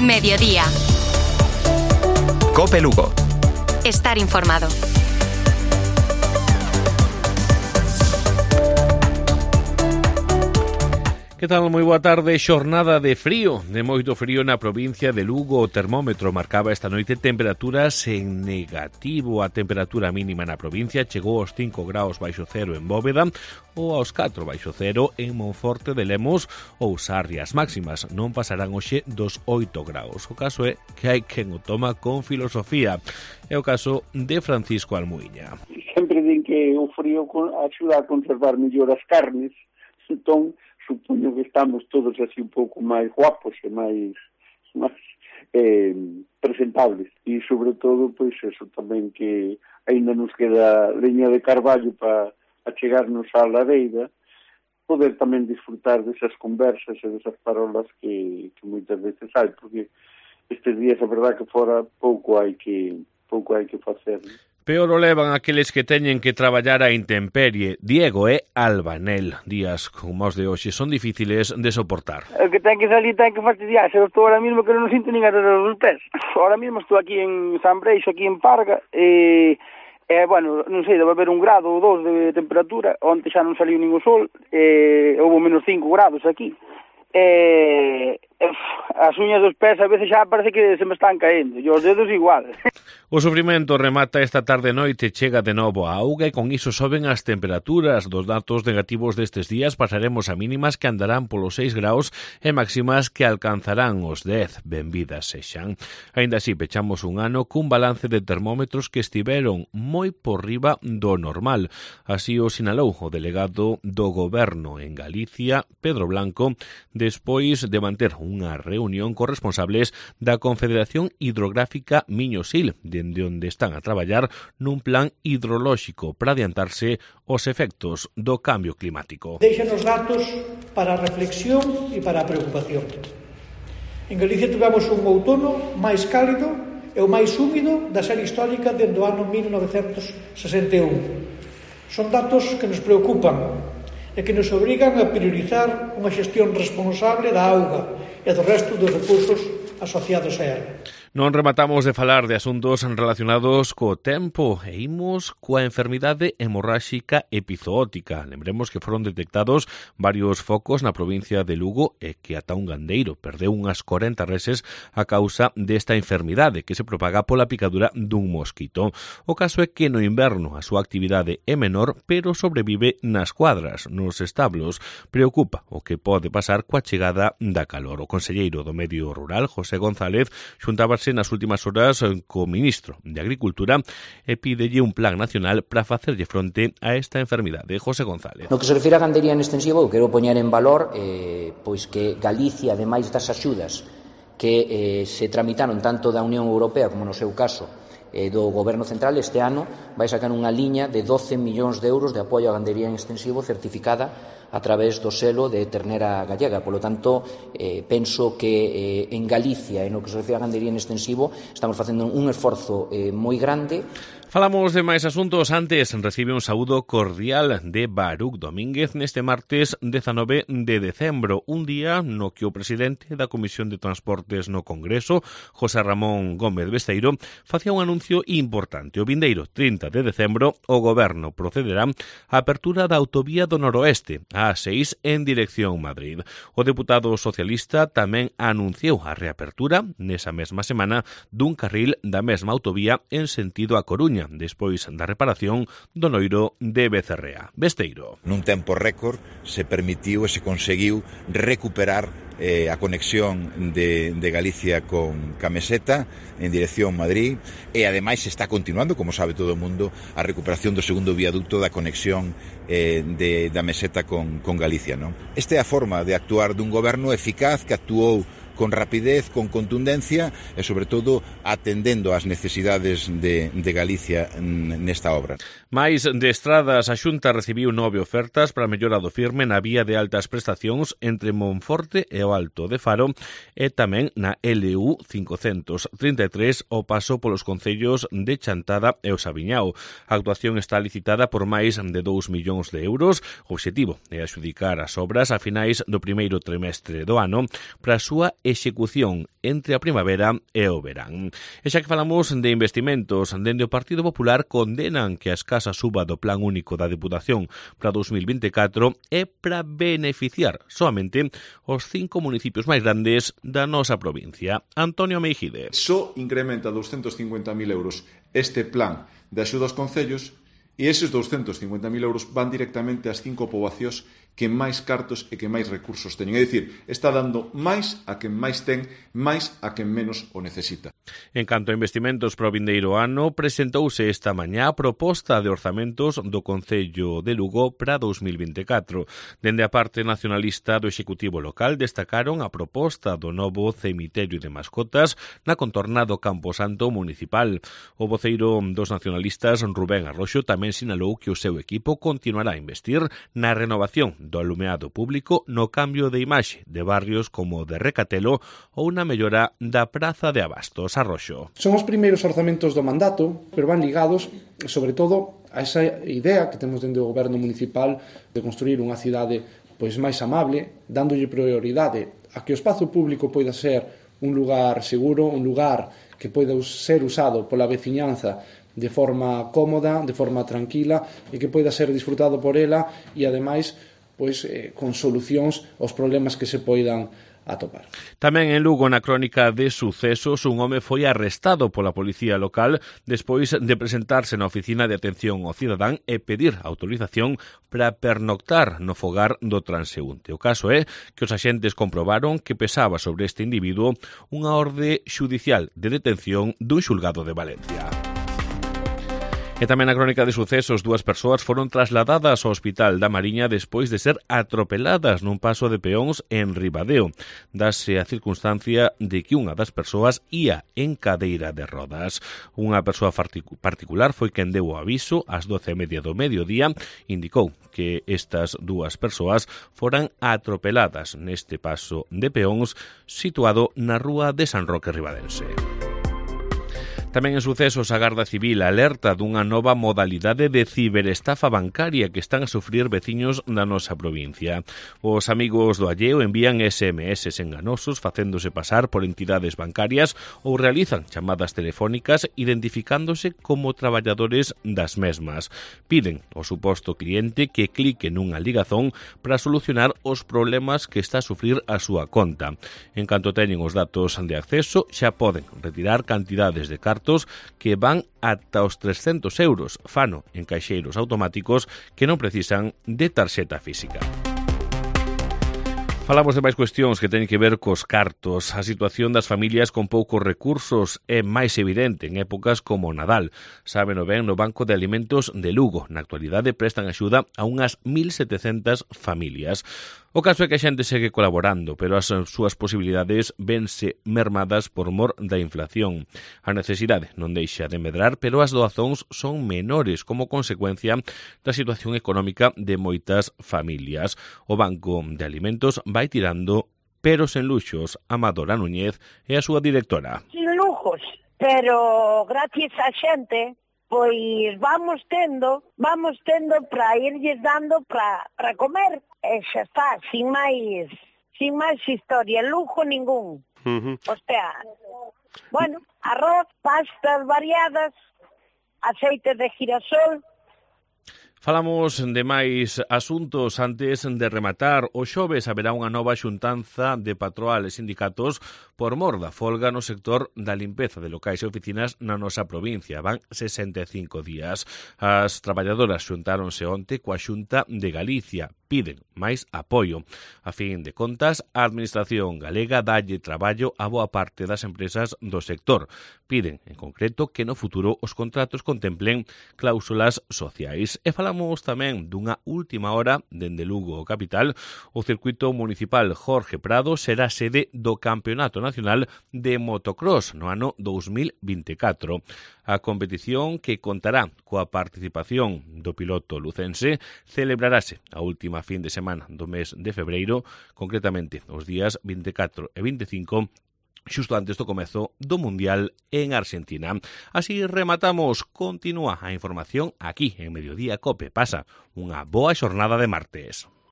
Mediodía. COPE Lugo. Estar informado. Que tal? Moi boa tarde. Xornada de frío, de moito frío na provincia de Lugo. O termómetro marcaba esta noite temperaturas en negativo. A temperatura mínima na provincia chegou aos 5 graus baixo cero en Bóveda ou aos 4 baixo cero en Monforte de Lemos ou Sarria. As máximas non pasarán hoxe dos 8 graus. O caso é que hai quen o toma con filosofía. É o caso de Francisco Almuiña. Sempre din que o frío axuda a conservar mellor as carnes, entón supoño que estamos todos así un pouco máis guapos e máis presentables. E sobre todo, pois eso tamén, que aínda nos queda leña de carballo para achegarnos á lareira, poder tamén disfrutar desas conversas e desas parolas que moitas veces hai, porque estes días a verdad que fora pouco hai que facer. Peor o levan aqueles que teñen que traballar a intemperie. Diego é albanel. Días como os de hoxe son difíciles de soportar. O que ten que salir ten que fastidiarse. Eu estou ahora mismo que non sinto nin as dos pés. Ahora mismo estou aquí en San Breixo, aquí en Parga, bueno, non sei, debe haber 1 grado ou 2 de temperatura. Onte xa non saliu nin o sol, houve menos 5 grados aquí. As uñas dos pés a veces xa parece que se me están caendo, e os dedos igual. O sufrimento remata esta tarde e noite, chega de novo a auga e con iso soben as temperaturas. Dos datos negativos destes días pasaremos a mínimas que andarán polos 6 graus e máximas que alcanzarán os 10. Benvidas sexan. Aínda así, pechamos un ano cun balance de termómetros que estiveron moi por riba do normal. Así o sinalou o delegado do Goberno en Galicia, Pedro Blanco, despois de manter unha reunión con responsables da Confederación Hidrográfica Miño-Sil, dende onde están a traballar nun plan hidrolóxico para adiantarse os efectos do cambio climático. Deixan os datos para a reflexión e para a preocupación. En Galicia tivemos un outono máis cálido e o máis húmido da serie histórica dende o ano 1961. Son datos que nos preocupan e que nos obrigan a priorizar unha xestión responsable da auga e do resto dos recursos asociados a ela. Non rematamos de falar de asuntos relacionados co tempo e imos coa enfermidade hemorráxica epizootica. Lembremos que foron detectados varios focos na provincia de Lugo e que ata un gandeiro perdeu unhas 40 reses a causa desta enfermidade que se propaga pola picadura dun mosquito. O caso é que no inverno a súa actividade é menor, pero sobrevive nas cuadras, nos establos. Preocupa o que pode pasar coa chegada da calor. O conselleiro do Medio Rural, José González, xuntábase nas últimas horas co ministro de Agricultura e pídelle un plan nacional para facerlle fronte a esta enfermidade. José González. No que se refire a gandería en extensivo, eu quero poñer en valor pois que Galicia, ademais das axudas que se tramitaron tanto da Unión Europea como no seu caso do Goberno Central, este ano vai sacar unha liña de 12 millóns de euros de apoio á gandería en extensivo certificada a través do selo de ternera gallega. Por lo tanto, penso que en Galicia, en o que se refire a gandería en extensivo, estamos facendo un esforzo moi grande. Falamos de máis asuntos. Antes recibe un saúdo cordial de Baruch Domínguez neste martes 19 de decembro, un día no que o presidente da Comisión de Transportes no Congreso, José Ramón Gómez Besteiro, facía un anuncio importante. O vindeiro 30 de decembro o Goberno procederá á apertura da autovía do Noroeste, a A6 en dirección Madrid. O deputado socialista tamén anunciou a reapertura nesa mesma semana dun carril da mesma autovía en sentido a Coruña, despois da reparación do noiro de Becerrea. Besteiro. Nun tempo récord se permitiu e se conseguiu recuperar a conexión de Galicia con Meseta en dirección Madrid e ademais está continuando, como sabe todo o mundo, a recuperación do segundo viaducto da conexión da Meseta con Galicia, non? Esta é a forma de actuar dun goberno eficaz que actuou con rapidez, con contundencia e, sobre todo, atendendo ás necesidades de Galicia nesta obra. Mais de estradas, a Xunta recibiu 9 ofertas para mellora do firme na vía de altas prestacións entre Monforte e o Alto de Faro e tamén na LU 533 o paso polos concellos de Chantada e o Sabiñao. A actuación está licitada por máis de 2 millóns de euros. O obxectivo é adxudicar as obras a finais do primeiro trimestre do ano para a súa execución entre a primavera e o verán. E xa que falamos de investimentos, dende o Partido Popular condenan que a escasa suba do Plan Único da Deputación para 2024 é para beneficiar soamente os 5 municipios máis grandes da nosa provincia. Antonio Meijide. Só incrementa 250.000 euros este plan de axuda aos concellos e eses 250.000 euros van directamente ás 5 poboacións que máis cartos e que máis recursos teñen. É dicir, está dando máis a quen máis ten, máis a quen menos o necesita. En canto a investimentos para o vindeiro ano, presentouse esta mañá a proposta de orzamentos do Concello de Lugo para 2024. Dende a parte nacionalista do Executivo local destacaron a proposta do novo cemiterio de mascotas na contorna do Camposanto municipal. O voceiro dos nacionalistas, Rubén Arroxo, tamén sinalou que o seu equipo continuará a investir na renovación do alumeado público, no cambio de imaxe de barrios como o de Recatelo ou na mellora da Praza de Abastos. Arroxo. Son os primeiros orzamentos do mandato, pero van ligados, sobre todo, a esa idea que temos dentro do goberno municipal de construir unha cidade máis amable, dándolle prioridade a que o espazo público poida ser un lugar seguro, un lugar que poida ser usado pola veciñanza de forma cómoda, de forma tranquila e que poida ser disfrutado por ela e, ademais, con solucións aos problemas que se poidan atopar. Tamén en Lugo, na crónica de sucesos, un home foi arrestado pola policía local despois de presentarse na oficina de atención ao cidadán e pedir autorización para pernoctar no fogar do transeúnte. O caso é que os axentes comprobaron que pesaba sobre este individuo unha orde xudicial de detención dun xulgado de Valencia. E tamén na crónica de sucesos, 2 persoas foron trasladadas ao Hospital da Mariña despois de ser atropeladas nun paso de peóns en Ribadeo. Dase a circunstancia de que unha das persoas ía en cadeira de rodas. Unha persoa particular foi quen deu o aviso ás 12:30 do mediodía, indicou que estas 2 persoas foran atropeladas neste paso de peóns situado na rúa de San Roque Ribadense. Tamén en sucesos, a Garda Civil alerta dunha nova modalidade de ciberestafa bancaria que están a sufrir veciños da nosa provincia. Os amigos do alleo envían SMS enganosos facéndose pasar por entidades bancarias ou realizan chamadas telefónicas identificándose como traballadores das mesmas. Piden ao suposto cliente que clique nunha ligazón para solucionar os problemas que está a sufrir a súa conta. En canto teñen os datos de acceso, xa poden retirar cantidades de cartos que van ata os 300 euros, fano en caixeiros automáticos que non precisan de tarxeta física. Falamos de máis cuestións que teñen que ver cos cartos. A situación das familias con poucos recursos é máis evidente en épocas como Nadal. Sábeno ben no Banco de Alimentos de Lugo. Na actualidade prestan axuda a unhas 1.700 familias. O caso é que a xente segue colaborando, pero as súas posibilidades vense mermadas por mor da inflación. A necesidade non deixa de medrar, pero as doazóns son menores como consecuencia da situación económica de moitas familias. O Banco de Alimentos vai tirando, pero sen luxos. Amadora Núñez é a súa directora. Sin lujos, pero gracias a xente, pois vamos tendo para irlles dando para comer. E xa está, sin máis historia, lujo ningún. O sea, bueno, arroz, pastas variadas, aceite de girasol. Falamos de máis asuntos antes de rematar. O xoves haberá unha nova xuntanza de patronal e sindicatos por mor da folga no sector da limpeza de locais e oficinas na nosa provincia. Van 65 días. As traballadoras xuntáronse onte coa Xunta de Galicia. Piden máis apoio. A fin de contas, a Administración galega dalle traballo a boa parte das empresas do sector. Piden, en concreto, que no futuro os contratos contemplen cláusulas sociais. E falamos tamén dunha última hora dende Lugo capital. O circuito municipal Jorge Prado será sede do Campeonato Nacional de Motocross no ano 2024. A competición, que contará coa participación do piloto lucense, celebrarase a última fin de semana do mes de febreiro, concretamente os días 24 e 25, xusto antes do comezo do Mundial en Argentina. Así rematamos. Continúa a información aquí en Mediodía Cope. Pasa unha boa xornada de martes.